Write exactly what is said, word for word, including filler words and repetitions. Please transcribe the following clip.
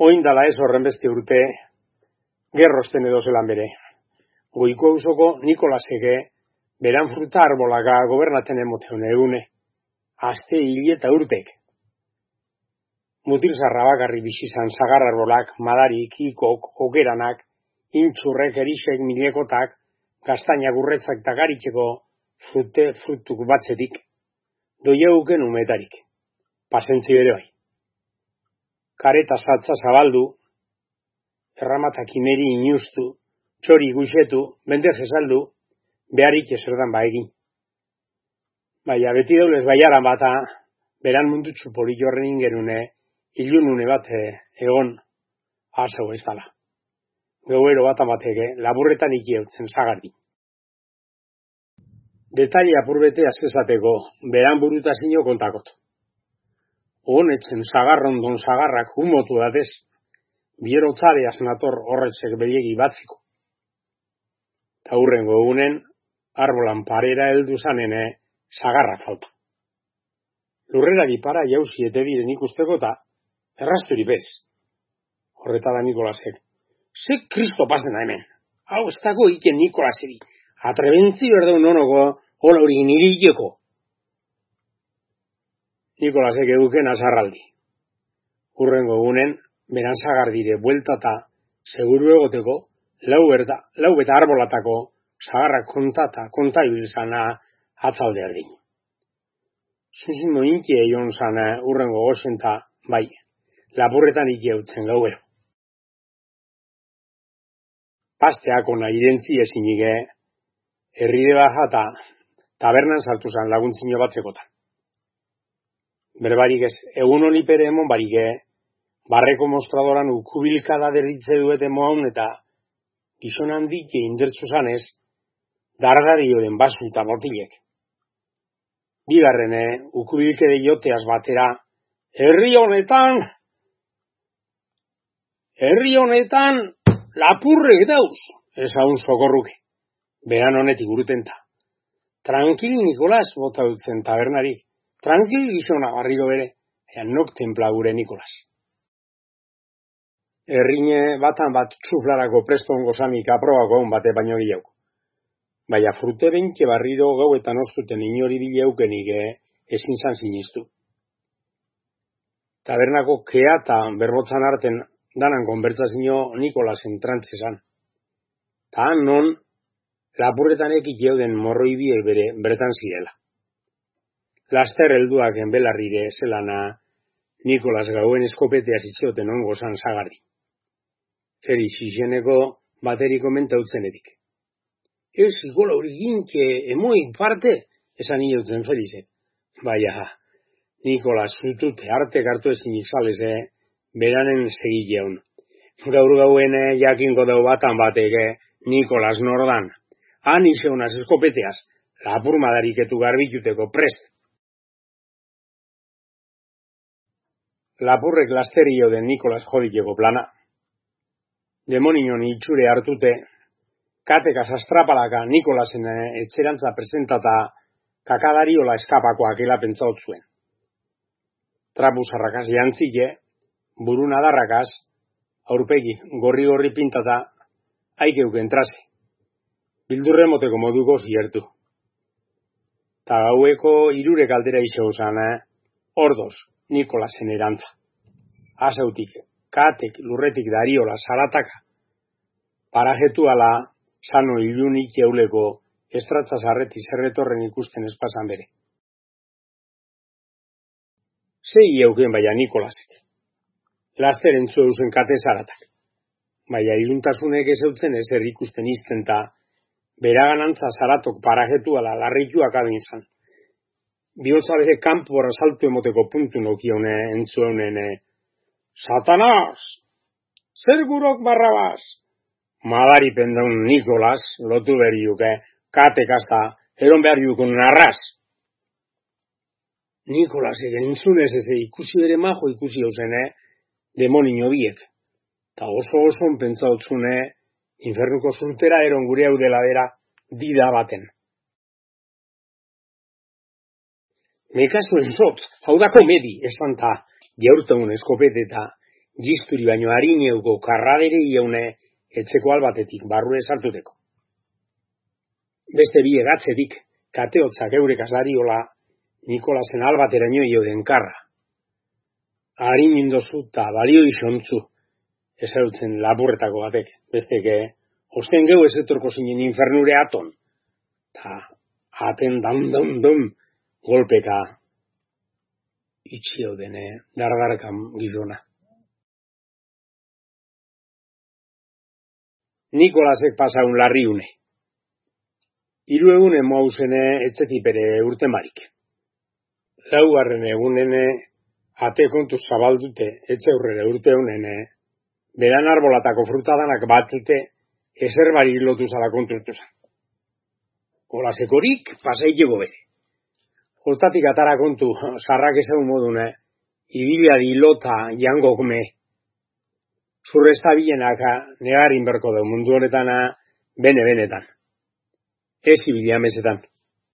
Oindala ez horren beste urte, gerrosten edo zelan bere. Goiko auzoko Nikolaseke, beran fruta arbolaka gobernaten emoteun egune. Aste hil eta urtek. Mutil zarra bakarri bizizan zagar arbolak, madarik, ikok, okeranak, intxurrek, erisek, milekotak, gaztainak urretzak eta garitxeko frute frutuk batzetik, doieuken umetarik. Pasentzi bere bai. Kareta zatza zabaldu, erramatak imeri inustu, txori guxetu, bendez esaldu, beharik eserdan baegin. Baina beti daulez baiaran bata, beran mundutxu porillo horren ingerune, ilunune bat egon, asau ez dala. Gauero bat amateke, laburretan ikeutzen zagardi. Detaile apurbete azkezateko, beran burutazio kontakot. Honetzen zagarrondon zagarrak humotu datez, bierotzaleaz nator horretzek bediegi batziko. Ta hurrengo egunen, arbolan parera heldu zanene, zagarra falta. Lurrerari para jauzi ete diren ikusteko eta errasturi bez. Horretara Nikolasek. Ze kristo pasena hemen. Hau ez dago iken Nikolaseri. Atrebentzio erdaun nonoko hola hori nirileko. Nikolasek eduken azarraldi. Hurrengo egunen, beran zagardire bueltata, seguru egoteko, lau berta, lau beta arbolatako, zagarrak kontata, konta ibilzana atzalde erdin. Zuzimo inki eion zana hurrengo goxenta, bai, lapurretan ikeutzen gauero. Pasteako nahi irentzi ezinike, herride bajata, tabernan sartu zan laguntzino batzekotan. Berbarik ez, egun honi pere emon barike, barreko mostradoran ukubilkada derritze duete moan eta gizon handik indertzu zanez, dardarioren basu eta botilek. Bigarrene, ukubilkede joteaz batera, herri honetan, herri honetan, lapurrek dauz, ezaun sokorruke, beran honetik urutenta. Tranquil, Nikolas, bota dutzen tabernarik. Tranquil gizona barriro bere, ean nok templa gure Nikolas. Errine batan bat txuflarako prestongo zanik aprobako hon bate baino gehiago. Baina frute benke barriro gauetan oztuten inori bileukenik ezin zan sinistu. Tabernako kea eta berbotzan arten danan konbertsazio Nikolasen trantzezan. Ta han non, lapurretan ekik jeuden morroi biek bere bertan zirela. Laster helduak enbelarrire zelana Nikolas gauen eskopetea zitzoten ongo zan zagardi. Feri xizeneko bateri komentautzen Ez, ikola hori ginke emoik parte, esan inotzen Felizek. Baina, Nikolas zutute artek hartu ezin izaleze, beranen segileun. Gaur gauen jakinko dau batan bateke, Nikolas nordan. Han izeunaz eskopeteaz, lapur madariketu garbituteko prest. Lapurrek lasterio den Nikolas joditeko plana. Demonion itxure hartute, katekaz astrapalaka Nikolasen etxerantza presentata kakadariola eskapakoak elapentzaut zuen. Trapuzarrakaz jantzile, burun adarrakaz, aurpegi gorri-gorri pintata, haikeuk entraze. Bildurre moteko moduko ziertu. Ta gaueko irure kaldera iseo zan, ordoz, Nikolasen erantza. Asautik, katek, lurretik dariola, sarataka. Parajetu ala, sano ilunik jauleko, estratza zarreti zerretorren ikusten espazan bere. Zei jauken baina Nikolasek. Laster entzu eusen kate zaratak. Baina iluntasunek ezeutzen ezer ikusten izten ta, beraganantza zaratok parajetu ala larrituak adin zan. Bihotza bere kanpora saltu emoteko puntu nokione entzuen Satanaz! Zer gurok barrabaz! Madari pendaun Nikolas, lotu beriuke, katekazta, eron behar jukun narraz. Nikolas egen entzunez eze ikusi bere majo ikusi hausene, demonio biek. Ta oso oso pentsautzune, infernuko zurtera eron gure hau dela dera, dida baten. Mekazuen zotz, hau da komedi, esan ta, jaurtaun eskopeteta, Gisturi baino harineuko karradere iaune etxeko albatetik barrue sartuteko. Beste bi egatzetik kateotzak eurek azariola Nikolasen albateraino ioden karra. Harin indozu eta balio isontzu ezagutzen lapurretako batek. Besteke, osten geu ez etorko zinen infernure aton. Ta aten dam dam dam golpeka itxio dene dardarkan gizona. Nikolasek pasaun larriune. Hiru egunen moauzene etxetipere urtemarik. Laugarren egunene ate kontu zabaldute etxe aurrera urte honene beran arbolatako frutadanak batute ezerbari lotu zala konturtu zan. Olasekorik pasaiteko bere. Hortatik atara kontu sarrak ezagun modune ibiliari lota jangokme zurrezta bilenaka negarin berko da mundu honetana bene-benetan. Ez ibilia mesetan.